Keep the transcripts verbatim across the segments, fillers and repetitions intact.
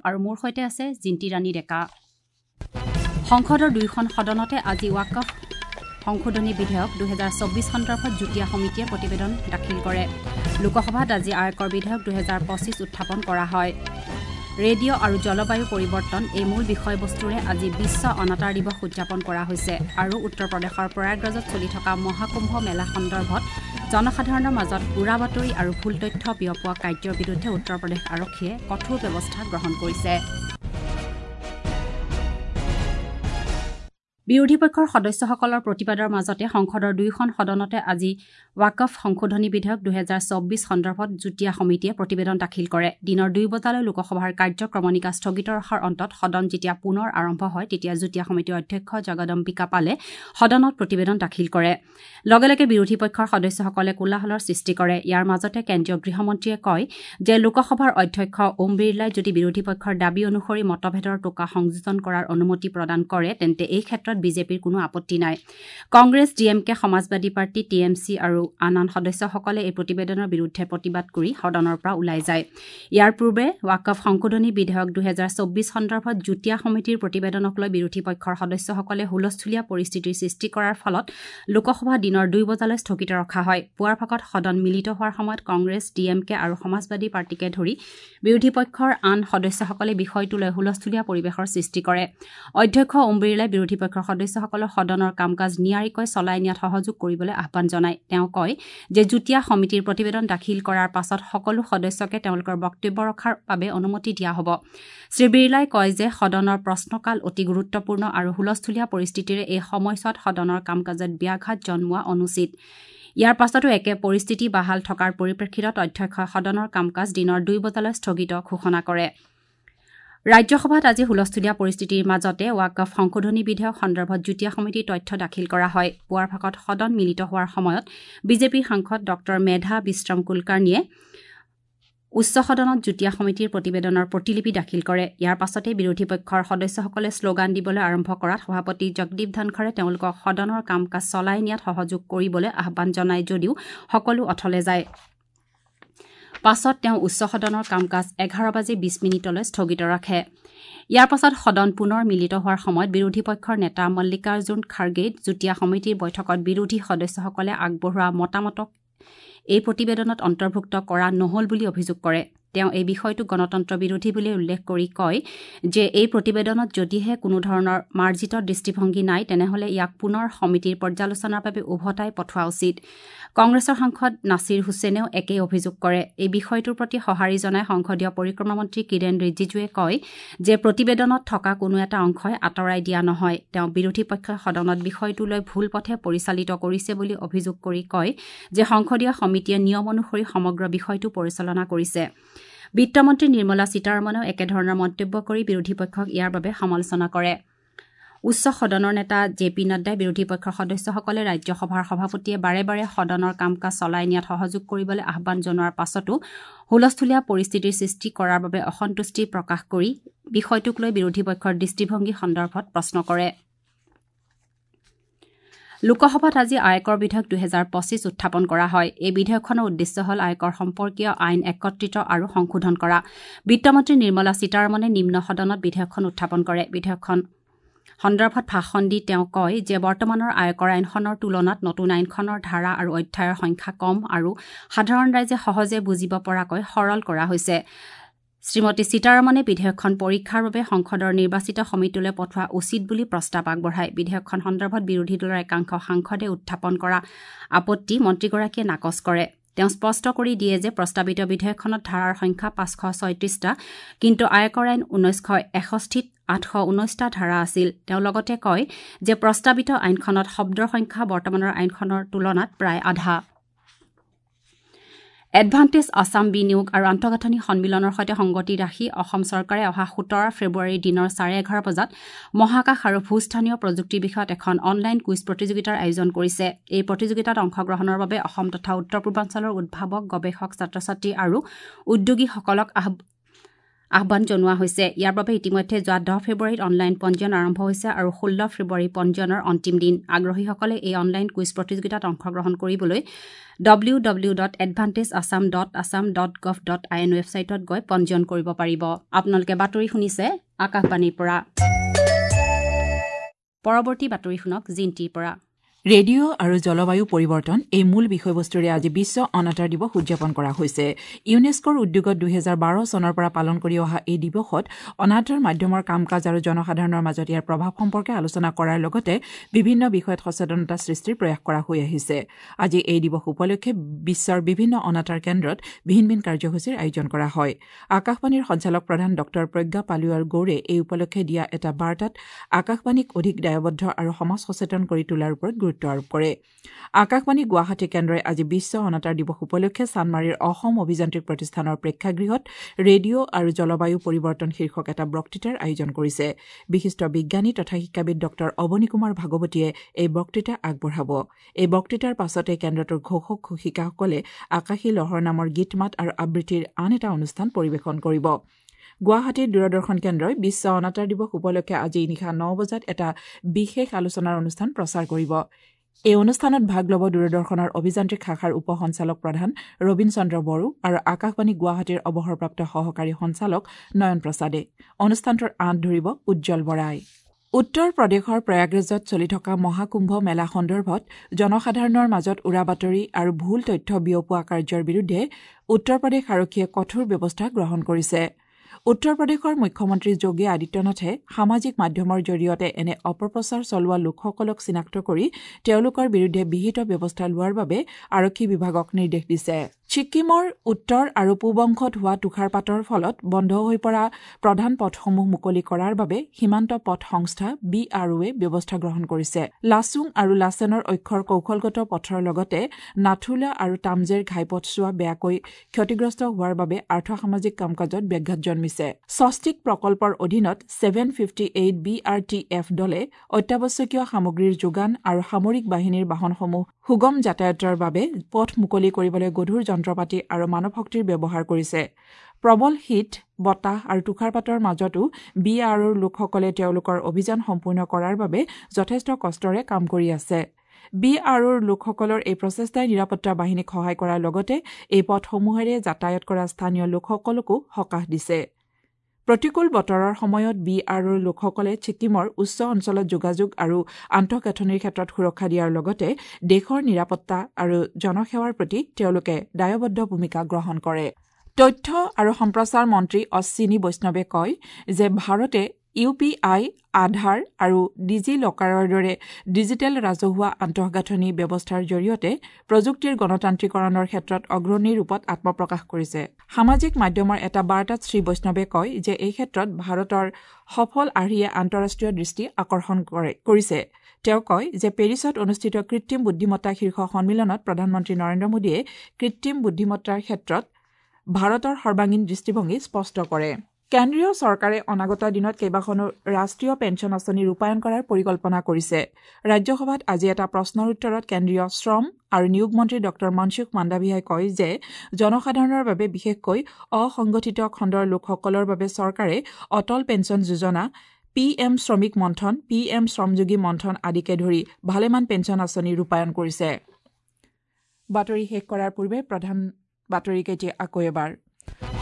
আৰু মোৰ সৈতে আছে জিন্তি ৰাণী ডেকা। সংসদৰ দুয়োখন সদনতে আজি ৱাকফ সংশোধনী বিধেয়ক দুহেজাৰ চৌব্বিছ সন্দৰ্ভত যুটীয়া সমিতিয়ে প্ৰতিবেদন দাখিল কৰে। লোকসভাত আজি আয়কৰ বিধেয়ক দুহেজাৰ পঁচিছ উত্থাপন কৰা হয়। ৰেডিঅ' আৰু জলবায়ু পৰিৱৰ্তন এই মূল বিষয়বস্তুৰে আজি বিশ্ব অনাতাঁৰ দিৱস উদযাপন কৰা হৈছে। আৰু উত্তৰ প্ৰদেশৰ প্ৰয়াগৰাজত চলি থকা মহাকুম্ভ মেলা সন্দৰ্ভত জনসাধাৰণৰ মাজত উৰা বাতৰি আৰু ভুল তথ্য বিয়পোৱা কাৰ্যৰ বিৰুদ্ধে উত্তৰ প্ৰদেশ আৰক্ষীয়ে কঠোৰ ব্যৱস্থা গ্ৰহণ কৰিছে। বিৰোধী পক্ষৰ সদস্যসকলৰ প্ৰতিবাদৰ মাজতে সংসদৰ দুয়োখন সদনতে আজি ৱাকফ সংশোধনী বিধেয়ক দুহেজাৰ চৌব্বিছ সন্দৰ্ভত যুটীয়া সমিতিয়ে প্ৰতিবেদন দাখিল কৰে। দিনৰ দুই বজালৈ লোকসভাৰ কাৰ্যক্ৰমণিকা স্থগিত ৰখাৰ অন্তত সদন যেতিয়া পুনৰ আৰম্ভ হয় তেতিয়া যুটীয়া সমিতিৰ অধ্যক্ষ জগদম্বিকা পালে সদনত প্ৰতিবেদন দাখিল কৰে। লগে লগে বিৰোধী পক্ষৰ সদস্যসকলে কোলাহলৰ সৃষ্টি কৰে। ইয়াৰ মাজতে কেন্দ্ৰীয় গৃহমন্ত্ৰীয়ে কয় যে লোকসভাৰ অধ্যক্ষ ওম বিৰলাই যদি বিৰোধী পক্ষৰ দাবী অনুসৰি মতভেদৰ টোকা সংযোজন কৰাৰ অনুমতি প্ৰদান কৰে তেন্তে এই ক্ষেত্ৰত বিজেপিৰ কোনো আপত্তি নাই। Congress, D M K, Samajwadi party, T M C আৰু আন আন সদস্যসকলে এই প্ৰতিবেদনৰ বিৰুদ্ধে প্ৰতিবাদ কৰি সদনৰ পৰা ওলাই যায়। ইয়াৰ পূৰ্বে ৱাকফ সংশোধনী বিধেয়ক দুহেজাৰ চৌব্বিছ সন্দৰ্ভত যুটীয়া সমিতিৰ প্ৰতিবেদনক লৈ বিৰোধী পক্ষৰ সদস্যসকলে হুলস্থুলীয়া পৰিস্থিতিৰ সৃষ্টি কৰাৰ ফলত লোকসভা দিনৰ দুই বজালৈ স্থগিত ৰখা হয়। পুৱাৰ ভাগত সদন মিলিত হোৱাৰ সময়ত কংগ্ৰেছ, ডি এম কে আৰু সমাজবাদী পাৰ্টীকে ধৰি বিৰোধী পক্ষৰ আন সদস্যসকলে বিষয়টো লৈ হুলস্থুলীয়া পৰিৱেশৰ সৃষ্টি কৰে। অধ্যক্ষ ওম বিৰলাই বিৰোধী পক্ষৰ সদস্যসকলক সদনৰ কাম কাজ নিয়াৰিকৈ চলাই নিয়াত সহযোগ কৰিবলৈ আহ্বান জনায়। তেওঁ কয় যে যুটীয়া সমিতিৰ প্ৰতিবেদন দাখিল কৰাৰ পাছত সকলো সদস্যকে তেওঁলোকৰ বক্তব্য ৰখাৰ বাবে অনুমতি দিয়া হ'ব। শ্ৰী বিৰলাই কয় যে সদনৰ প্ৰশ্নকাল অতি গুৰুত্বপূৰ্ণ আৰু হুলস্থুলীয়া পৰিস্থিতিৰে এই সময়ছোৱাত সদনৰ কাম কাজত ব্যাঘাত জন্মোৱা অনুচিত। ইয়াৰ পাছতো একে পৰিস্থিতি বাহাল থকাৰ পৰিপ্ৰেক্ষিতত অধ্যক্ষই সদনৰ কাম কাজ দিনৰ দুই বজালৈ স্থগিত ঘোষণা কৰে। ৰাজ্যসভাত আজি হুলস্থুলীয়া পৰিস্থিতিৰ মাজতে ৱাকফ সংশোধনী বিধেয়ক সন্দৰ্ভত যুটীয়া সমিতিৰ তথ্য দাখিল কৰা হয়। পুৱাৰ ভাগত সদন মিলিত হোৱাৰ সময়ত বিজেপিৰ সাংসদ ডক্টৰ মেধা বিশ্ৰাম কুলকাৰ্ণীয়ে উচ্চ সদনত যুটীয়া সমিতিৰ প্ৰতিবেদনৰ প্ৰতিলিপি দাখিল কৰে। ইয়াৰ পাছতে বিৰোধী পক্ষৰ সদস্যসকলে শ্লোগান দিবলৈ আৰম্ভ কৰাত সভাপতি জগদীপ ধনখৰে তেওঁলোকক সদনৰ কাম কাজ চলাই নিয়াত সহযোগ কৰিবলৈ আহ্বান জনায় যদিও সকলো অথলে যায়। পাছত তেওঁ উচ্চ সদনৰ কাম কাজ এঘাৰ বাজি বিছ মিনিটলৈ স্থগিত ৰাখে। ইয়াৰ পাছত সদন পুনৰ মিলিত হোৱাৰ সময়ত বিৰোধী পক্ষৰ নেতা মল্লিকাৰ্জুন খাৰ্গেই যুটীয়া সমিতিৰ বৈঠকত বিৰোধী সদস্যসকলে আগবঢ়োৱা মতামতক এই প্ৰতিবেদনত অন্তৰ্ভুক্ত কৰা নহ'ল বুলি অভিযোগ কৰে। তেওঁ এই বিষয়টো গণতন্ত্ৰ বিৰোধী বুলি উল্লেখ কৰি কয় যে এই প্ৰতিবেদনত যদিহে কোনো ধৰণৰ মাৰ্জিত দৃষ্টিভংগী নাই তেনেহ'লে ইয়াক পুনৰ সমিতিৰ পৰ্যালোচনাৰ বাবে উভতাই পঠোৱা উচিত। কংগ্ৰেছৰ সাংসদ নাছিৰ হুছেইনেও একেই অভিযোগ কৰে। এই বিষয়টোৰ প্ৰতি সঁহাৰি জনাই সংসদীয় পৰিক্ৰমা মন্ত্ৰী কিৰেণ ৰিজিজুৱে কয় যে প্ৰতিবেদনত থকা কোনো এটা অংশই আঁতৰাই দিয়া নহয়। তেওঁ বিৰোধী পক্ষই সদনত বিষয়টো লৈ ভুল পথে পৰিচালিত কৰিছে বুলি অভিযোগ কৰি কয় যে সংসদীয় সমিতিয়ে নিয়ম অনুসৰি সমগ্ৰ বিষয়টো পৰিচালনা কৰিছে। বিত্তমন্ত্ৰী নিৰ্মলা সীতাৰমণেও একেধৰণৰ মন্তব্য কৰি বিৰোধী পক্ষক ইয়াৰ বাবে সমালোচনা কৰে। উচ্চ সদনৰ নেতা জে পি নাড্ডাই বিৰোধী পক্ষৰ সদস্যসকলে ৰাজ্যসভাৰ সভাপতিয়ে বাৰে বাৰে সদনৰ কাম কাজ চলাই নিয়াত সহযোগ কৰিবলৈ আহ্বান জনোৱাৰ পাছতো হুলস্থুলীয়া পৰিস্থিতিৰ সৃষ্টি কৰাৰ বাবে অসন্তুষ্টি প্ৰকাশ কৰি বিষয়টোক লৈ বিৰোধী পক্ষৰ দৃষ্টিভংগী সন্দৰ্ভত প্ৰশ্ন কৰে। লোকসভাত আজি আয়কৰ বিধেয়ক দুহেজাৰ পঁচিছ উত্থাপন কৰা হয়। এই বিধেয়কখনৰ উদ্দেশ্য হ'ল আয়কৰ সম্পৰ্কীয় আইন একত্ৰিত আৰু সংশোধন কৰা। বিত্তমন্ত্ৰী নিৰ্মলা সীতাৰমণে নিম্ন সদনত বিধেয়কখন উত্থাপন কৰে। বিধেয়কখন সন্দৰ্ভত ভাষণ দি তেওঁ কয় যে বৰ্তমানৰ আয়কৰ আইনখনৰ তুলনাত নতুন আইনখনৰ ধাৰা আৰু অধ্যায়ৰ সংখ্যা কম আৰু সাধাৰণ ৰাইজে সহজে বুজিব পৰাকৈ সৰল কৰা হৈছে। শ্ৰীমতী সীতাৰমণে বিধেয়কখন পৰীক্ষাৰ বাবে সংসদৰ নিৰ্বাচিত সমিতিলৈ পঠোৱা উচিত বুলি প্ৰস্তাৱ আগবঢ়ায়। বিধেয়কখন সন্দৰ্ভত বিৰোধী দলৰ একাংশ সাংসদে উত্থাপন কৰা আপত্তি মন্ত্ৰীগৰাকীয়ে নাকচ কৰে। তেওঁ স্পষ্ট কৰি দিয়ে যে প্ৰস্তাৱিত বিধেয়কখনত ধাৰাৰ সংখ্যা পাঁচশ ছয়ত্ৰিশটা, কিন্তু আয়কৰ আইন ঊনৈছশ এষষ্ঠিত আঠশ ঊনৈছটা ধাৰা আছিল। তেওঁ লগতে কয় যে প্ৰস্তাৱিত আইনখনত শব্দৰ সংখ্যা বৰ্তমানৰ আইনখনৰ তুলনাত প্ৰায় আধা। এডভান্টেজ আছাম বিনিয়োগ আৰু আন্তঃগাঁথনি সন্মিলনৰ সৈতে সংগতি ৰাখি অসম চৰকাৰে অহা সোতৰ ফেব্ৰুৱাৰীৰ দিনৰ চাৰে এঘাৰ বজাত মহাকাশ আৰু ভূস্থানীয় প্ৰযুক্তি বিষয়ত এখন অনলাইন কুইজ প্ৰতিযোগিতাৰ আয়োজন কৰিছে। এই প্ৰতিযোগিতাত অংশগ্ৰহণৰ বাবে অসম তথা উত্তৰ পূৰ্বাঞ্চলৰ উদ্ভাৱক, গৱেষক, ছাত্ৰ ছাত্ৰী আৰু উদ্যোগীসকলক আহ্বান জনোৱা হৈছে। ইয়াৰ বাবে ইতিমধ্যে যোৱা দহ ফেব্ৰুৱাৰীত অনলাইন পঞ্জীয়ন আৰম্ভ হৈছে আৰু ষোল্ল ফেব্ৰুৱাৰী পঞ্জীয়নৰ অন্তিম দিন। আগ্ৰহীসকলে এই অনলাইন কুইজ প্ৰতিযোগিতাত অংশগ্ৰহণ কৰিবলৈ W W dot advantage Assam dot Assam dot gov dot I N ৱেবছাইটত গৈ পঞ্জীয়ন কৰিব পাৰিব। আপোনালোকে বাতৰি শুনিছে আকাশবাণীৰ পৰা। পৰৱৰ্তী বাতৰি শুনক জিন্তিৰ পৰা। ৰেডিঅ' আৰু জলবায়ু পৰিৱৰ্তন এই মূল বিষয়বস্তুৰে আজি বিশ্ব অনাতাঁৰ দিৱস উদযাপন কৰা হৈছে। ইউনেস্কোৰ উদ্যোগত দুহেজাৰ বাৰ চনৰ পৰা পালন কৰি অহা এই দিৱসত অনাতাঁৰ মাধ্যমৰ কাম কাজ আৰু জনসাধাৰণৰ মাজত ইয়াৰ প্ৰভাৱ সম্পৰ্কে আলোচনা কৰাৰ লগতে বিভিন্ন বিষয়ত সচেতনতা সৃষ্টিৰ প্ৰয়াস কৰা হৈ আহিছে। আজি এই দিৱস উপলক্ষে বিশ্বৰ বিভিন্ন অনাতাঁৰ কেন্দ্ৰত ভিন ভিন কাৰ্যসূচীৰ আয়োজন কৰা হয়। আকাশবাণীৰ সঞ্চালক প্ৰধান ডঃ প্ৰজ্ঞা পালিৱাৰ গৌৰে এই উপলক্ষে দিয়া এটা বাৰ্তাত আকাশবাণীক অধিক দায়বদ্ধ আৰু সমাজ সচেতন কৰি তোলাৰ ওপৰত গুৰুত্ব আৰোপ কৰে। আকাশবাণী গুৱাহাটী কেন্দ্ৰই আজি বিশ্ব অনাতাঁৰ দিৱস উপলক্ষে চানমাৰীৰ অসম অভিযান্ত্ৰিক প্ৰতিষ্ঠানৰ প্ৰেক্ষাগৃহত ৰেডিঅ' আৰু জলবায়ু পৰিৱৰ্তন শীৰ্ষক এটা বক্তৃতাৰ আয়োজন কৰিছে। বিশিষ্ট বিজ্ঞানী তথা শিক্ষাবিদ ডঃ অৱনী কুমাৰ ভাগৱতীয়ে এই বক্তৃতা আগবঢ়াব। এই বক্তৃতাৰ পাছতে কেন্দ্ৰটোৰ ঘোষক ঘোষিকাসকলে আকাশী লহৰ নামৰ গীত মাত আৰু আবৃত্তিৰ আন এটা অনুষ্ঠান পৰিৱেশন কৰিব। গুৱাহাটীৰ দূৰদৰ্শন কেন্দ্ৰই বিশ্ব অনাতাঁৰ দিৱস উপলক্ষে আজি নিশা ন বজাত এটা বিশেষ আলোচনাৰ অনুষ্ঠান প্ৰচাৰ কৰিব। এই অনুষ্ঠানত ভাগ ল'ব দূৰদৰ্শনৰ অভিযান্ত্ৰিক শাখাৰ উপ সঞ্চালক প্ৰধান ৰবীন চন্দ্ৰ বড়ো আৰু আকাশবাণী গুৱাহাটীৰ অৱসৰপ্ৰাপ্ত সহকাৰী সঞ্চালক নয়ন প্ৰসাদে। অনুষ্ঠানটোৰ আঁত ধৰিব উজ্জ্বল বৰাই। উত্তৰ প্ৰদেশৰ প্ৰয়াগৰাজত চলি থকা মহাকুম্ভ মেলা সন্দৰ্ভত জনসাধাৰণৰ মাজত উৰাবাতৰি আৰু ভুল তথ্য বিয়পোৱা কাৰ্যৰ বিৰুদ্ধে উত্তৰ প্ৰদেশ আৰক্ষীয়ে কঠোৰ ব্যৱস্থা গ্ৰহণ কৰিছে। উত্তৰ প্ৰদেশৰ মুখ্যমন্ত্ৰী যোগী আদিত্যনাথে সামাজিক মাধ্যমৰ জৰিয়তে এনে অপপ্ৰচাৰ চলোৱা লোকসকলক চিনাক্ত কৰি তেওঁলোকৰ বিৰুদ্ধে বিহিত ব্যৱস্থা লোৱাৰ বাবে আৰক্ষী বিভাগক নিৰ্দেশ দিছে। ছিক্কিমৰ উত্তৰ আৰু পূব অংশত হোৱা তুষাৰপাতৰ ফলত বন্ধ হৈ পৰা প্ৰধান পথসমূহ মুকলি কৰাৰ বাবে সীমান্ত পথ সংস্থা বি আৰ অ'য়ে ব্যৱস্থা গ্ৰহণ কৰিছে। লাচুং আৰু লাচেনৰ অক্ষৰ কৌশলগত পথৰ লগতে নাথুলা আৰু তামজেৰ ঘাইপথছোৱা বেয়াকৈ ক্ষতিগ্ৰস্ত হোৱাৰ বাবে আৰ্থসামাজিক কাম কাজত ব্যাঘাত জন্মিছে। স্বস্তিক প্ৰকল্পৰ অধীনত seven fifty eight B R T F দলে অত্যাৱশ্যকীয় সামগ্ৰীৰ যোগান আৰু সামৰিক বাহিনীৰ বাহনসমূহ সুগম যাতায়াতৰ বাবে পথ মুকলি কৰিবলৈ গধুৰ যন্ত্ৰপাতি আৰু মানৱ শক্তিৰ ব্যৱহাৰ কৰিছে। প্ৰবল শীত, বতাহ আৰু তুষাৰপাতৰ মাজতো বি আৰ অ'ৰ লোকসকলে তেওঁলোকৰ অভিযান সম্পূৰ্ণ কৰাৰ বাবে যথেষ্ট কষ্টৰে কাম কৰি আছে। বি আৰ অ'ৰ লোকসকলৰ এই প্ৰচেষ্টাই নিৰাপত্তা বাহিনীক সহায় কৰাৰ লগতে এই পথসমূহেৰে যাতায়াত কৰা স্থানীয় লোকসকলকো সকাহ দিছে। প্ৰতিকূল বতৰৰ সময়ত বি আৰ অ'ৰ লোকসকলে ছিক্কিমৰ উচ্চ অঞ্চলত যোগাযোগ আৰু আন্তঃগাঁথনিৰ ক্ষেত্ৰত সুৰক্ষা দিয়াৰ লগতে দেশৰ নিৰাপত্তা আৰু জনসেৱাৰ প্ৰতি তেওঁলোকে দায়বদ্ধ ভূমিকা গ্ৰহণ কৰে। তথ্য আৰু সম্প্ৰচাৰ মন্ত্ৰী অশ্বিনী বৈষ্ণৱে কয় যে ভাৰতে ইউ পি আই, আধাৰ আৰু ডিজি লকাৰৰ দৰে ডিজিটেল ৰাজহুৱা আন্তঃগাঁথনি ব্যৱস্থাৰ জৰিয়তে প্ৰযুক্তিৰ গণতান্ত্ৰিকৰণৰ ক্ষেত্ৰত অগ্ৰণী ৰূপত আত্মপ্ৰকাশ কৰিছে। সামাজিক মাধ্যমৰ এটা বাৰ্তাত শ্ৰী বৈষ্ণৱে কয় যে এই ক্ষেত্ৰত ভাৰতৰ সফল আৰ্হিয়ে আন্তঃৰাষ্ট্ৰীয় দৃষ্টি আকৰ্ষণ কৰিছে। তেওঁ কয় যে পেৰিছত অনুষ্ঠিত কৃত্ৰিম বুদ্ধিমত্তা শীৰ্ষ সন্মিলনত প্ৰধানমন্ত্ৰী নৰেন্দ্ৰ মোদীয়ে কৃত্ৰিম বুদ্ধিমত্তাৰ ক্ষেত্ৰত ভাৰতৰ সৰ্বাংগীন দৃষ্টিভংগী স্পষ্ট কৰে। কেন্দ্ৰীয় চৰকাৰে অনাগত দিনত কেইবাখনো ৰাষ্ট্ৰীয় পেঞ্চন আঁচনি ৰূপায়ণ কৰাৰ পৰিকল্পনা কৰিছে। ৰাজ্যসভাত আজি এটা প্ৰশ্নৰ উত্তৰত কেন্দ্ৰীয় শ্ৰম আৰু নিয়োগ মন্ত্ৰী ডঃ মনসুখ মাণ্ডাভিয়াই কয় যে জনসাধাৰণৰ বাবে বিশেষকৈ অসংগঠিত খণ্ডৰ লোকসকলৰ বাবে চৰকাৰে অটল পেঞ্চন যোজনা, পি এম শ্ৰমিক মন্থন, পি এম শ্ৰমযোগী মন্থন আদিকে ধৰি ভালেমান পেঞ্চন আঁচনি ৰূপায়ণ কৰিছে। বাতৰি শেষ কৰাৰ পূৰ্বে প্ৰধান বাতৰিকেইটি আকৌ এবাৰ।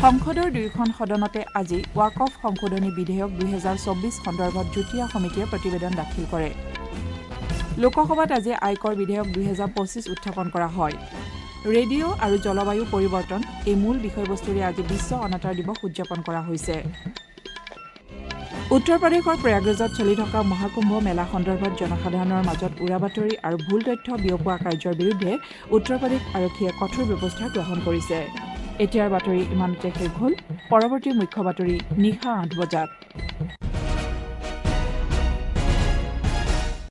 সংসদৰ দুয়োখন সদনতে আজি ৱাকফ সংশোধনী বিধেয়ক দুহেজাৰ চৌব্বিছ সন্দৰ্ভত যুটীয়া সমিতিয়ে প্ৰতিবেদন দাখিল কৰে। লোকসভাত আজি আয়কৰ বিধেয়ক দুহেজাৰ পঁচিছ উত্থাপন কৰা হয়। ৰেডিঅ' আৰু জলবায়ু পৰিৱৰ্তন এই মূল বিষয়বস্তুৰে আজি বিশ্ব অনাতাঁৰ দিৱস উদযাপন কৰা হৈছে। উত্তৰ প্ৰদেশৰ প্ৰয়াগৰাজত চলি থকা মহাকুম্ভ মেলা সন্দৰ্ভত জনসাধাৰণৰ মাজত উৰাবাতৰি আৰু ভুল তথ্য বিয়পোৱা কাৰ্যৰ বিৰুদ্ধে উত্তৰ প্ৰদেশ আৰক্ষীয়ে কঠোৰ ব্যৱস্থা গ্ৰহণ কৰিছে। এতিয়াৰ বাতৰি ইমানতে শেষ হ'ল। পৰৱৰ্তী মুখ্য বাতৰি নিশা আঠ বজাত।